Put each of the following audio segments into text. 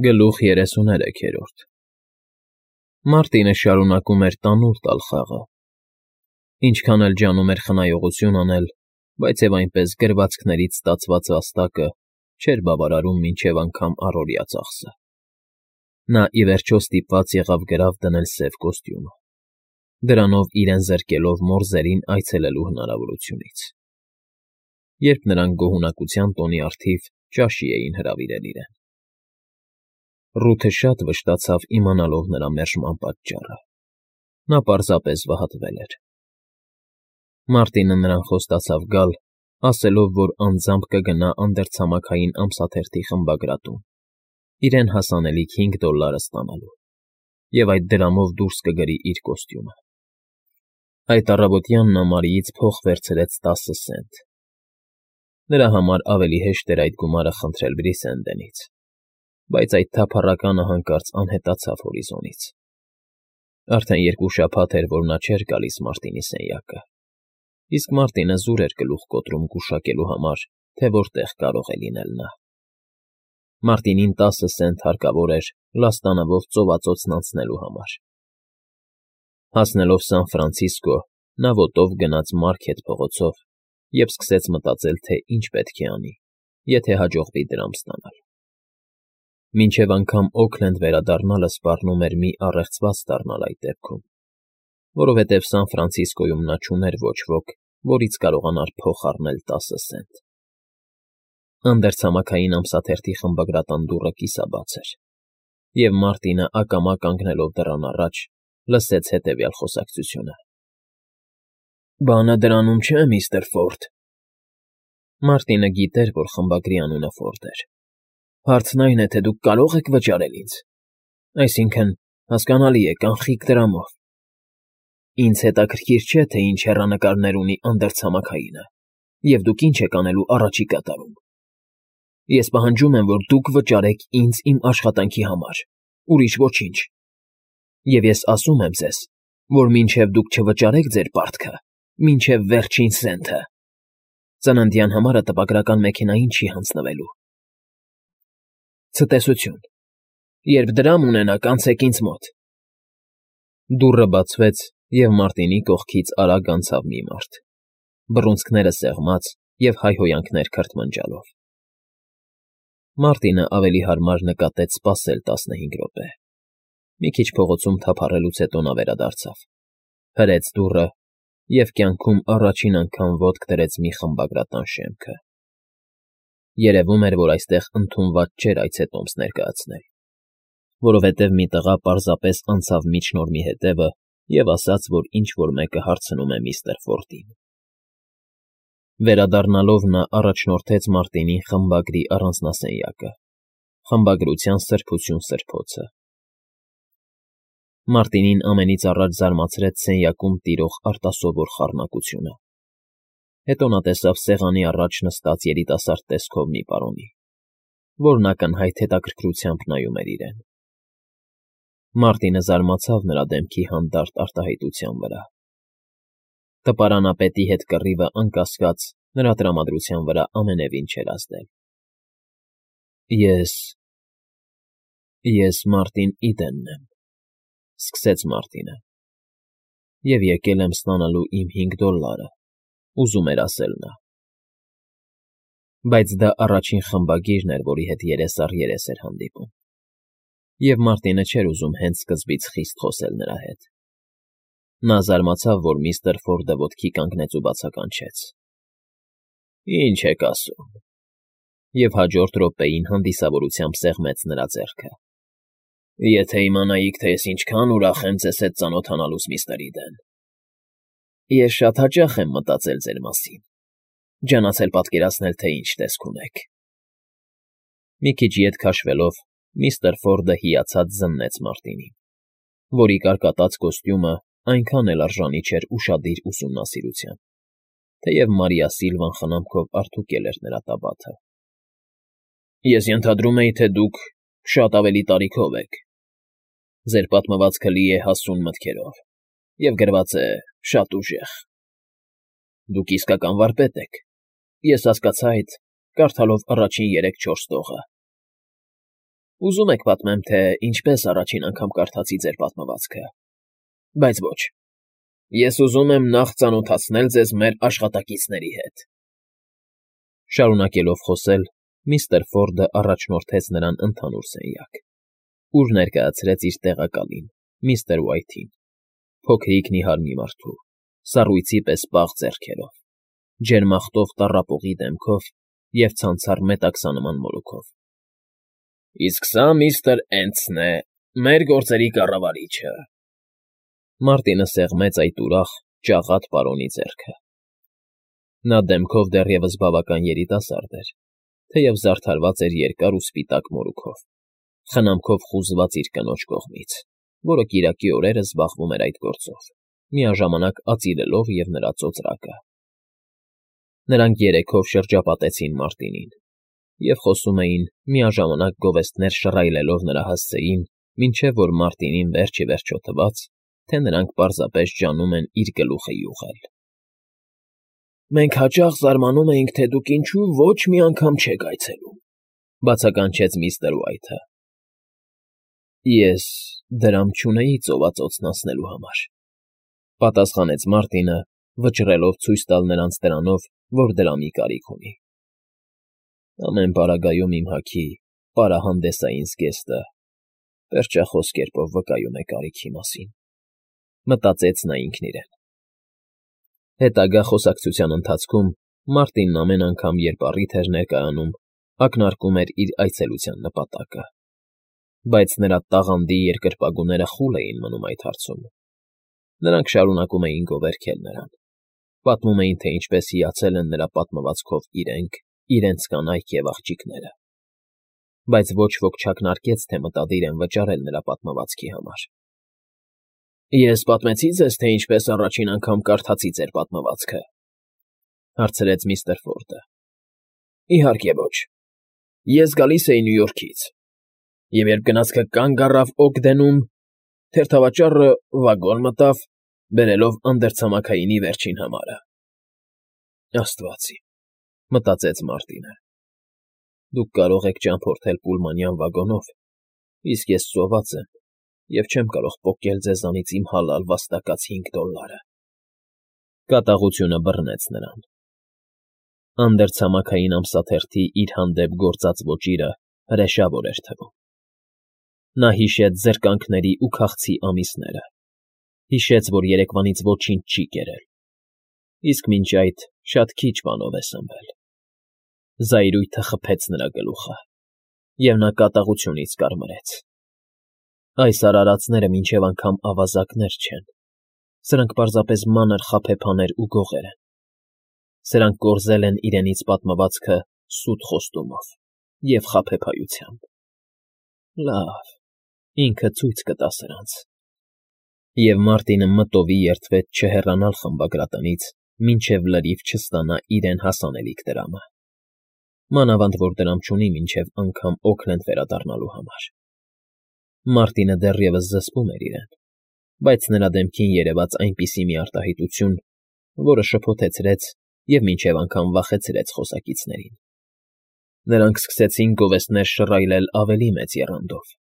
Գլուխ 33 Մարտինը շարունակում էր տանուլ տալ խաղը, ինչքան էլ ջանում էր խնայողություն անել, բայց և այնպես գրվածքներից ստացված վաստակը չէր բավարարում մինչև անգամ առօրյա ծախսը. նա ի վերջո ստիպված եղավ գրավ դնել սև կոստյումը, դրանով իրեն զրկելով մորզերին այցելելու հնարավորությունից, երբ նրանք գոհունակության տոնի առթիվ ճաշի էին հրավիրել իրեն. Ռութը շատ վշտացավ իմանալով նրա մերժման պատճառը. նա պարզապես վհատվել էր. Մարտինը նրան խոստացավ գալ, ասելով, որ անձամբ կգնա անդերցամաքային ամսաթերթի խմբագրատուն, իրեն հասանելիք $5 ստանալու, և այդ դրամով դուրս կգրի իր կոստյումը. Այդ առավոտյան նա Մարիից փող վերցրեց 10 սենտ. նրա համար ավելի հեշտ էր այդ գումարը խնդրել Բրիսենդենից, բայց այդ թափառականը հանկարծ անհետացավ հորիզոնից. արդեն 2 շաբաթ էր, որ նա չէր գալիս Մարտինի սենյակը, իսկ Մարտինը զուր էր գլուխ կոտրում գուշակելու համար, թե որտեղ կարող է լինել նա. Մարտինին 10 սենտ հարկավոր էր լաստանավով ծովածոցն անցնելու համար. Հասնելով Սան Ֆրանցիսկո, նա ոտով գնաց Մարքեթ փողոցով և սկսեց մտածել, թե ինչ պետք է անի, եթե հաջողվի դրամ ստանալ. մինչև անգամ Օքլենդ վերադառնալը սպառնում էր մի առեղծված դառնալ այդ դեպքում, որովհետև Սան Ֆրանցիսկոյում նա չուներ ոչ ոք, որից կարողանար փող առնել 10 սենտ. Անդերցամաքային ամսաթերթի խմբագրատան դուռը կիսաբաց էր, և Մարտինը ակամա կանգնելով դռան առաջ, լսեց հետևյալ խոսակցությունը. «Բանը դրանում չէ, միստր Ֆորդ»։ Մարտինը գիտեր, որ խմբագրի անունը Ֆորդ էր. «Հարցն այն է, թե դուք կարո՞ղ եք վճարել ինձ, այսինքն, հասկանալի է, կանխիկ դրամով։ Ինձ հետաքրքիր չէ, թե ինչ հեռանկարներ ունի անդերցամաքայինը, և դուք ինչ եք անելու առաջիկա տարում։ Ես պահանջում եմ, որ դուք վճարեք ինձ իմ աշխատանքի համար, ուրիշ ոչինչ։ Եվ ես ասում եմ ձեզ, որ մինչև դուք չվճարեք ձեր պարտքը, մինչև վերջին սենթը, ծննդյան համարը տպագրական մեքենային չի հանձնվելու։ Ցտեսություն։ Երբ դրամ ունենաք, անցեք ինձ մոտ»։ Դուռը բացվեց, և Մարտինի կողքից արագ անցավ մի մարդ, բռունցքները սեղմած և հայհոյանքներ քրթմնջալով. Մարտինը ավելի հարմար նկատեց սպասել 15 րոպե. մի քիչ փողոցում թափառելուց հետո նա վերադարձավ, հրեց դուռը և կյանքում առաջին անգամ ոտք դրեց մի խմբագրատան շեմքը. երևում էր, որ այստեղ ընդունված չէր այցետոմս ներկայացնել, որովհետև մի տղա պարզապես անցավ միջնորմի հետևը և ասաց, որ ինչ֊որ մեկը հարցնում է միստր Ֆորդին. Վերադառնալով նա առաջնորդեց Մարտինին խմբագրի առանձնասենյակը, խմբագրության սրբություն սրբոցը. Մարտինին ամենից առաջ զարմացրեց սենյակում տիրող արտասովոր խառնակությունը, հետո նա տեսավ սեղանի առաջ նստած երիտասարդ տեսքով մի պարոնի, որն ակնհայտ հետաքրքրությամբ նայում էր իրեն. Մարտինը զարմացավ նրա դեմքի հանդարտ արտահայտության վրա. տպարանապետի հետ կռիվը, անկասկած, նրա տրամադրության վրա ամենևին չէր ազդել։ Ես Մարտին Իդենն եմ, սկսեց Մարտինը, և եկել եմ ստանալու իմ $5, ուզում էր ասել նա։ Բայց դա առաջին խմբագիրն էր, որի հետ երես առ երես էր հանդիպում, և Մարտինը չէր ուզում հենց սկզբից խիստ խոսել նրա հետ։ Նա զարմացավ, որ միստր Ֆորդը ոտքի կանգնեց ու բացականչեց. «Ինչ եք ասում», և հաջորդ րոպեին հանդիսավորությամբ սեղմեց նրա ձեռքը. «Եթե իմանայիք, թե ես ինչքան ուրախ եմ ձեզ հետ ծանոթանալուց, միստր Իդեն»։ «Ես շատ հաճախ եմ մտածել ձեր մասին, ջանացել պատկերացնել, թե ինչ տեսք ունեք»։ Մի քիչ ետ քաշվելով, միստր Ֆորդը հիացած զննեց Մարտինին, որի կարկատած կոստյումը այնքան էլ արժանի չէր ուշադիր ուսումնասիրության, թեև Մարիա Սիլվան խնամքով արդուկել էր նրա տաբաթը։ «Ես ենթադրում էի, թե դուք շատ ավելի տարիքով եք. ձեր պատմվածքը լի է հասուն մտքերով և գրված է շատ ուժեղ։ Դուք իսկական վարպետ եք, ես հասկացա այդ, կարդալով առաջին 3-4 տողը»։ Ուզում եք պատմեմ, թե ինչպես առաջին անգամ կարդացի ձեր պատմվածքը, բայց ոչ, ես ուզում եմ նախ ծանոթացնել ձեզ մեր աշխատակիցների հետ։ Շարունակելով խոսել, միստր Ֆորդը առաջնորդեց նրան ընդհանուր սենյակ, ուր ներկայացրեց իր տեղակալին, միստր Ուայթին, փոքրիկ նիհար մի մարդու, սառույցի պես պաղ ձեռքերով, ջերմախտով տառապողի դեմքով և ցանցառ մետաքսանման մորուքով։ Իսկ սա միստր Էնտսն է, մեր գործերի կառավարիչը։ Մարտինը սեղմեց այդ ուրախ, ճաղատ պարոնի ձեռքը։ Նա դեմքով դեռևս բավական երիտասարդ էր, թեև զարդարված էր երկար ու սպիտակ մորուքով, խնամքով խուզված իր կնոջ կողմից, որը կիրակի օրերը զբաղվում էր այդ գործով, միաժամանակ ածիրելով և նրա ծոծրակը։ Նրանք երեքով շրջապատեցին Մարտինին և խոսում էին, միաժամանակ գովեստներ շռայլելով նրա հասցեին, մինչև որ Մարտինին վերջ ի վերջո թվաց, թե նրանք պարզապես ջանում են իր գլուխը յուղել։ Մենք հաճախ զարմանում էինք, թե դուք ինչու ոչ մի անգամ չեք այցելում, բացականչեց միստր Ուայթը։ Ես դրամ չունեի ծովածոցն անցնելու համար, պատասխանեց Մարտինը, վճռելով ցույց տալ նրանց դրանով, որ դրամի կարիք ունի։ Ամեն պարագայում իմ հագի պարահանդեսային զգեստը պերճախոս կերպով վկայում է կարիքի մասին, մտածեց նա ինքն իրեն։ Հետագա խոսակցության ընթացքում Մարտինն ամեն անգամ, երբ առիթ էր ներկայանում, ակնարկում էր իր այցելության նպատակը, բայց նրա տաղանդի երկրպագուները խուլ էին մնում այդ հարցում։ Նրանք շարունակում էին գովերգել նրան, պատմում էին, թե ինչպես հիացել են նրա պատմվածքով իրենք, իրենց կանայք և աղջիկները, բայց ոչ ոք չակնարկեց, թե մտադիր են վճարել նրա պատմվածքի համար։ Ես պատմեցի ձեզ, թե ինչպես առաջին անգամ կարդացի ձեր պատմվածքը, հարցրեց միստր Ֆորդը։ Իհարկե ոչ։ Ես գալիս էի Նյու Յորքից, և երբ գնացքը կանգ առավ Օգդենում, թերթավաճառը վագոն մտավ, բերելով անդերցամաքայինի վերջին համարը։ Աստված իմ, մտածեց Մարտինը։ Դուք կարող եք ճամփորդել պուլմանյան վագոնով, իսկ ես ծոված եմ և չեմ կարող պոկել ձեզանից իմ հալալ վաստակած $5։ Կատաղությունը բռնեց նրան։ Անդերցամաքային ամսաթերթի իր հանդեպ գործած ոճիրը հրեշավոր էր թվում։ Նա հիշեց զրկանքների ու քաղցի ամիսները, հիշեց, որ երեկվանից ոչինչ չի կերել, իսկ մինչ այդ շատ քիչ բանով է սնվել։ Զայրույթը խփեց նրա գլուխը, և նա կատաղությունից կարմրեց։ Այս արարածները մինչև անգամ ավազակներ չեն, սրանք պարզապես մանր խաբեբաներ ու գողեր են։ Սրանք կորզել են իրենից պատմվածքը սուտ խոստումով և խաբեբայությամբ։ Լավ, ինքը ցույց կտա սրանց։ Եվ Մարտինը մտովի երդվեց չհեռանալ խմբագրատնից, մինչև լրիվ չստանա իրեն հասանելիք դրամը։ Մանավանդ որ դրամ չունի մինչև անգամ Օքլենդ վերադառնալու համար։ Մարտինը դեռևս զսպում էր իրեն, բայց նրա դեմքին երևաց այնպիսի մի արտահայտություն, որը շփոթեցրեց և մինչև անգամ վախեցրեց խոսակիցներին։ Նրանք սկսեցին գովեստներ շռայլել ավելի մեծ եռանդով։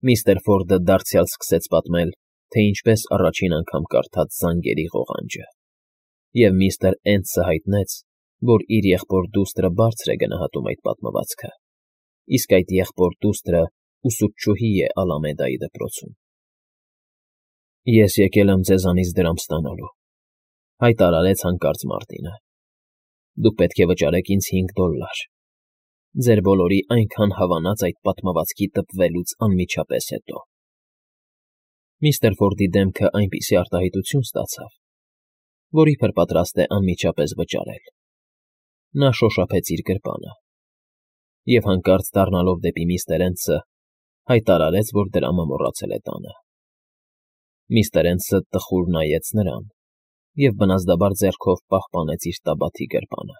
Միստր Ֆորդը դարձյալ սկսեց պատմել, թե ինչպես առաջին անգամ կարդաց զանգերի ղողանջը, և միստր Էնտսը հայտնեց, որ իր եղբոր դուստրը բարձր է գնահատում այդ պատմվածքը, իսկ այդ եղբոր դուստրը ուսուցչուհի է Ալամեդայի դպրոցում։ Ես եկել եմ ձեզանից դրամ ստանալու, հայտարարեց հանկարծ Մարտինը։ Դուք պետք է վճարեք ինձ $5, ձեր բոլորի այնքան հավանած այդ պատմվածքի տպվելուց անմիջապես հետո։ Միստր Ֆորդի դեմքը այնպիսի արտահայտություն ստացավ, որ իբր պատրաստ է անմիջապես վճարել։ Նա շոշափեց իր գրպանը և հանկարծ դառնալով դեպի միստր Էնտսը, հայտարարեց, որ դրամը մոռացել է տանը։ Միստր Էնտսը տխուր նայեց նրան և բնազդաբար ձեռքով պահպանեց իր տաբաթի գրպանը։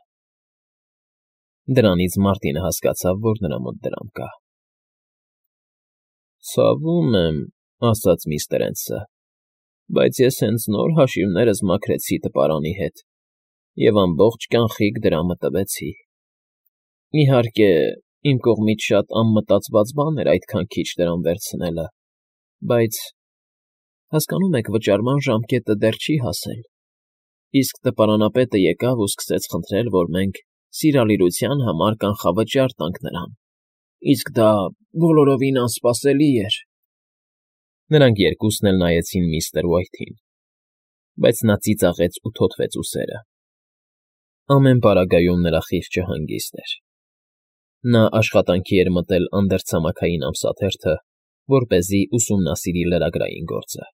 Դրանից Մարտինը հասկացավ, որ նրա մոտ դրամ կա։ Ցավում եմ, ասաց միստր Էնտսը, բայց ես հենց նոր հաշիվներս մաքրեցի տպարանի հետ և ամբողջ կանխիկ դրամը տվեցի։ Իհարկե, Իմ կողմից շատ անմտածված բան էր այդքան քիչ դրամ վերցնելը, բայց, հասկանո՞ւմ եք, վճարման ժամկետը դեռ չի հասել, իսկ տպարանապետը եկավ ու սկսեց խնդրել, որ մենք սիրալիրության համար կանխավճար տանք նրան, իսկ դա բոլորովին անսպասելի էր։ Նրանք երկուսն էլ նայեցին միստր Ուայթին, բայց նա ծիծաղեց ու թոթվեց ուսերը։ Ամեն պարագայում նրա խիղճը հանգիստ էր։ Նա աշխատանքի էր մտել անդերցամաքային ամսաթերթը, որպեսզի ուսումնասիրի լրագրային գործը,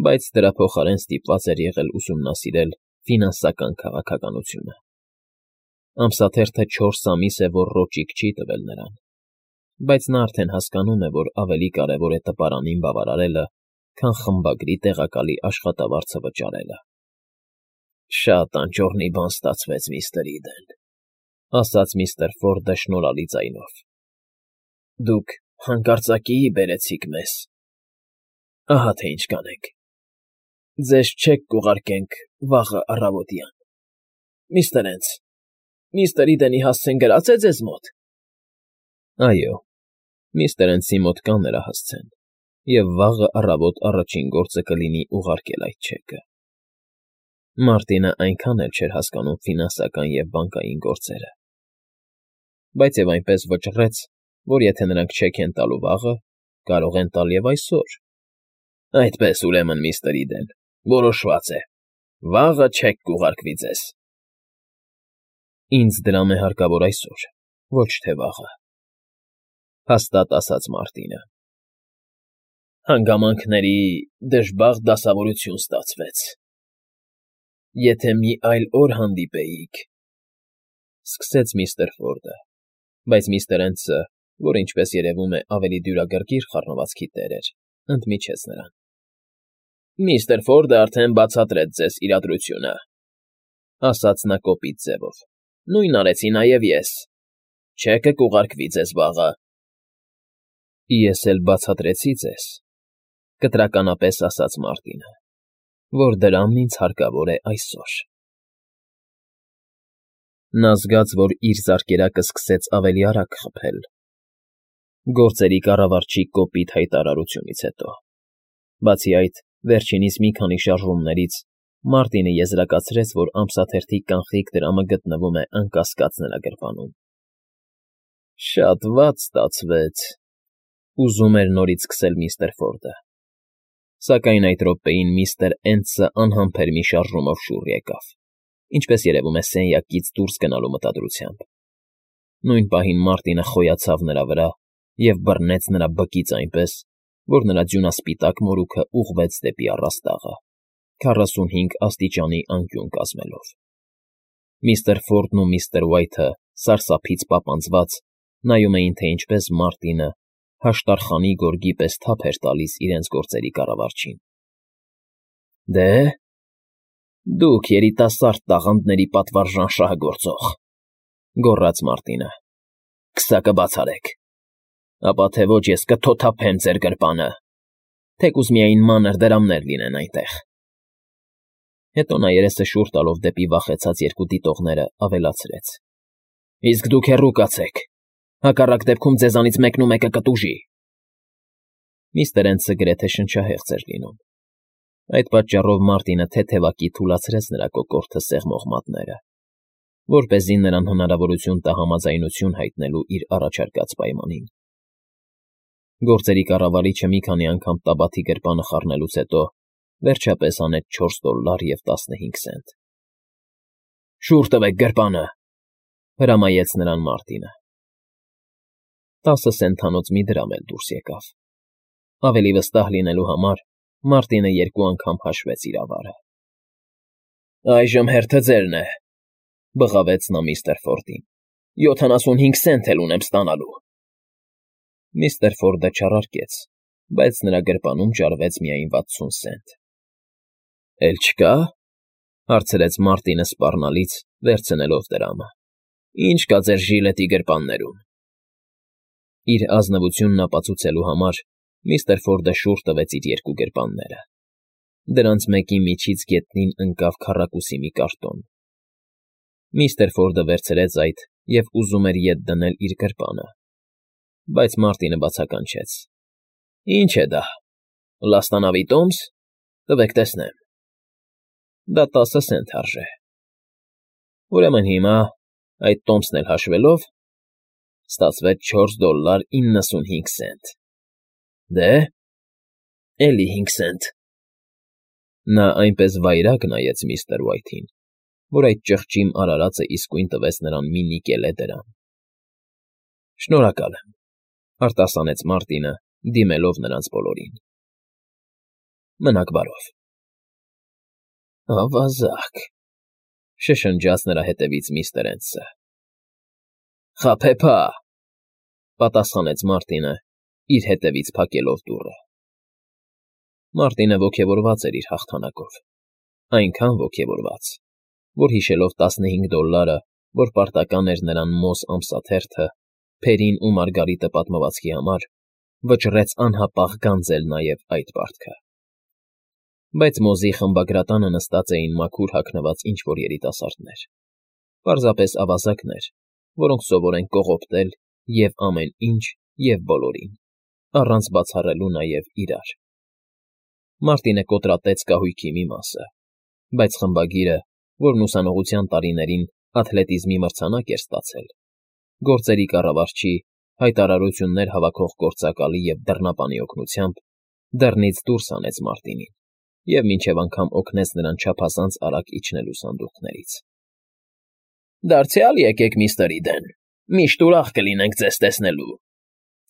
բայց դրա փոխարեն ստիպված էր եղել ուսումնասիրել ֆինանսական քաղաքականությունը։ Ամսաթերթը 4 ամիս է, որ ռոճիկ չի տվել նրան, բայց նա արդեն հասկանում է, որ ավելի կարևոր է տպարանին բավարարելը, քան խմբագրի տեղակալի աշխատավարձը վճարելը։ Շատ անճոռնի բան ստացվեց, միստր Իդեն, ասաց միստր Ֆորդը շնորհալի ձայնով։ Դուք հանկարծակիի բերեցիք մեզ։ Ահա թե ինչ կանենք։ Ձեզ չեք կուղարկենք վաղը առավոտյան։ Միստր Հենս, միստր Իդենի հասցեն գրած է ձեզ մոտ։ Այո, միստր Հենսի մոտ կա նրա հասցեն, և վաղը առավոտ առաջին գործը կլինի ուղարկել այդ չեկը։ Մարտինը այնքան էլ չէր հասկանում ֆինանսական և բանկային գործերը, բայց և այնպես վճռեց, որ եթե նրանք չեք են տալու վաղը, կարող են տալ և այսօր։ Այդպես, ուրեմն, միստր Իդեն, որոշված է, վաղը չեք կուղարկվի ձեզ։ Ինձ դրամ է հարկավոր այսօր, ոչ թե վաղը, հաստատ ասաց Մարտինը։ Հանգամանքների դժբախտ դասավորություն ստացվեց։ Եթե մի այլ օր հանդիպեիք, սկսեց միստր Ֆորդը, բայց միստր Հենսը, որ ինչպես երևում է ավելի դյուրագրգիռ խառնվածքի տեր էր, ընդմիջեց նրան։ Միստր Ֆորդը արդեն բացատրեց ձեզ իրադրությունը, ասաց նա կոպիտ ձևով։ Նույնն արեցի նաև ես։ Չեկը կուղարկվի ձեզ վաղը։ Ես էլ բացատրեցի ձեզ, կտրականապես ասաց Մարտինը, որ դրամն ինձ հարկավոր է այսօր։ Նա զգաց, որ իր զարկերակը սկսեց ավելի արագ խփել։ Գործերի կառավարչի կոպիտ հայտարարությունից հետո։ Բացի այդ, վերջինիս մի քանի շարժումներից Մարտինը եզրակացրեց, որ ամսաթերթի կանխիկ դրամը գտնվում է անկասկած նրա գրպանում։ Շատ վատ ստացվեց, ուզում էր նորից սկսել միստր Ֆորդը, սակայն այդ րոպեին միստր Հենսը անհամբեր մի շարժումով շուռ եկավ, ինչպես երևում է սենյակից դուրս գնալու մտադրությամբ։ Նույն պահին Մարտինը խոյացավ նրա վրա և բռնեց նրա բկից այնպես, որ նրա ձյունասպիտակ մորուքը ուղղվեց դեպի առաստաղը, 45 աստիճանի անկյուն կազմելով։ Միստր Ֆորդն ու միստր Ուայթը, սարսափից պապանձված, նայում էին, թե ինչպես Մարտինը հաշտարխանի գորգի պես թափ էր տալիս իրենց գործերի կառավարչին։ Դե, դուք երիտասարդ տաղանդների պատվարժան շահագործող, գոռաց Մարտինը, քսակը բաց արեք, ապա թե ոչ ես կթոթափեմ ձեր գրպանը, թեկուզ միայն մանր դրամներ լինեն այնտեղ։ Հետո նա երեսը շուռ տալով դեպի վախեցած երկու դիտողները ավելացրեց. Իսկ դուք հեռու կացեք, հակառակ դեպքում ձեզանից մեկնումեկը կտուժի։ Միստր Հենսը գրեթե շնչահեղձ էր լինում։ Այդ պատճառով Մարտինը թեթևակի թուլացրեց նրա կոկորդը սեղմող մատները, որպեսզի նրան հնարավորություն տա համաձայնություն հայտնելու իր առաջարկած պայմանին։ Գործերի կառավարիչը մի քանի անգամ տաբաթի գրպանը խառնելուց հետո վերջապես հանեց $4.15 Շուռ տվեք գրպանը, հրամայեց նրան Մարտինը։ 10 սենթանոց մի դրամ էլ դուրս եկավ։ Ավելի վստահ լինելու համար Մարտինը երկու անգամ հաշվեց իր ավարը։ Այժմ հերթը ձերն է, բղավեց նա միստր Ֆորդին։ 75 սենտ էլ ունեմ ստանալու։ Միստր Ֆորդը չառարկեց, բայց նրա գրպանում ճարվեց միայն 60 սենտ։ Էլ չկա՞, հարցրեց Մարտինը սպառնալից, վերցնելով դրամը։ Ինչ կա ձեր ժիլետի գրպաններում։ Իր ազնվությունն ապացուցելու համար միստր Ֆորդը շուռ տվեց իր երկու գրպանները։ Դրանց մեկի միջից գետնին ընկավ քառակուսի մի կարտոն։ Միստր Ֆորդը վերցրեց այդ և ուզում էր ետ դնել իր գրպանը, բայց Մարտինը բացականչեց. ֊ Ի՞նչ է դա, լաստանավի տոմս, տվեք տեսնեմ, դա 10 սենտ արժե, ուրեմն հիմա, այդ տոմսն էլ հաշվելով, ստացվեց $4.95. Դե՞, էլի 5 սենտ… Նա այնպես վայրագ նայեց միստր Ուայթին, որ այդ ճղճիմ արարածը իսկույն տվեց նրան մի նիկելե դրամ։ ֊ Շնորհակալ եմ,֊ արտասանեց Մարտինը, դիմելով նրանց բոլորին։ ֊ Մնաք բարով։ ֊ Ավազակ,֊ շշնջաց նրա հետևից միստր Հենսը։ ֊ Խաբեբա,֊ պատասխանեց Մարտինը, իր հետևից փակելով դուռը։ Մարտինը ոգևորված էր իր հաղթանակով, այնքան ոգևորված, որ հիշելով $15, որ պարտական էր նրան Մոզ ամսաթերթը, Փերին ու Մարգարիտը պատմվածքի համար, վճռեց անհապաղ գանձել նաև այդ պարտքը։ Բայց Մոզի խմբագրատանը նստած էին մաքուր հագնված ինչ֊որ երիտասարդներ, պարզապես ավազակներ, որոնք սովոր են կողոպտել և ամեն ինչ, և բոլորին, առանց բացառելու նաև իրար։ Մարտինը կոտրատեց կահույքի մի մասը, բայց խմբագիրը, որն ուսանողության տարիներին աթլետիզմի մրցանակ էր ստացել, գործերի կառավարչի, հայտարարություններ հավաքող գործակալի և դռնապանի օգնությամբ, դռնից դուրս հանեց Մարտինին և մինչև անգամ օգնեց նրան չափազանց արագ իջնելու սանդուղքներից։ ֊ Դարձյալ եկեք, միստր Իդեն, միշտ ուրախ կլինենք ձեզ տեսնելու,֊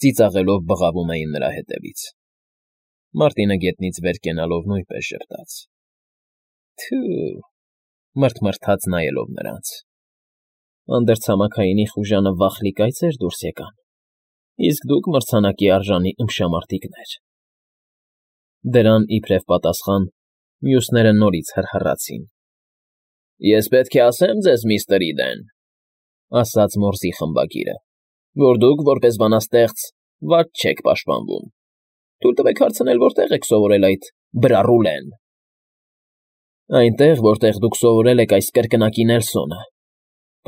ծիծաղելով բղավում էին նրա հետևից։ Մարտինը գետնից վեր կենալով նույնպես ժպտաց։ ֊ Թո՛ւ,֊ մռթմռթաց նայելով նրանց։ Անդրցամաքայինի խուժանը վախլի կայծեր դուրս եկան, իսկ դուք մրցանակի արժանի ըմբշամարտիկներ… Դրան իբրև պատասխան մյուսները նորից հռհռացին։ ֊ Ես պետք է ասեմ ձեզ, միստր Իդեն,֊ ասաց մորզի խմբագիրը,֊ որ դուք, որպես բանաստեղծ, վատ չեք պաշտպանվում։ Թույլ տվեք հարցնել, որտե՞ղ եք սովորել այդ բրառուլեն։ ֊ Այնտեղ, որտեղ դուք սովորել եք այս կրկնակի Նելսոնը,֊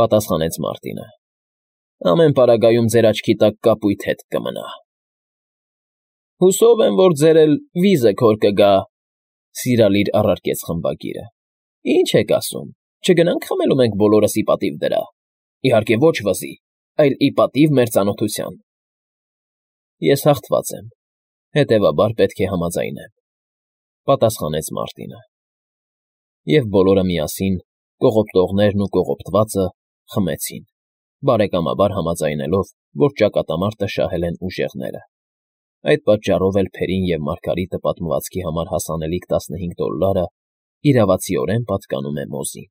պատասխանեց Մարտինը։ ֊ Ամեն պարագայում ձեր աչքի տակ կապույտ հետք կմնա։ ֊ Հուսով եմ, որ ձեր էլ վիզը քոր կգա,֊ սիրալիր առարկեց խմբագիրը։ ֊ Ի՞նչ եք ասում, չգնա՞նք խմելու մենք բոլորս ի պատիվ դրա, իհարկե ոչ վզի, այլ ի պատիվ մեր ծանոթության։ ֊ Ես հաղթված եմ, հետևաբար պետք է համաձայնեմ,֊ պատասխանեց Մարտինը։ Եվ բոլորը միասին, կողոպտողներն ու կողոպտվածը, խմեցին, բարեկամաբար համաձայնելով, որ ճակատամարտը շահել են ուժեղները։ Այդ պատճառով էլ Փերին և Մարգարիտը պատմվածքի համար հասանելիք $15 իրավացիորեն պատկանում է Մոզին։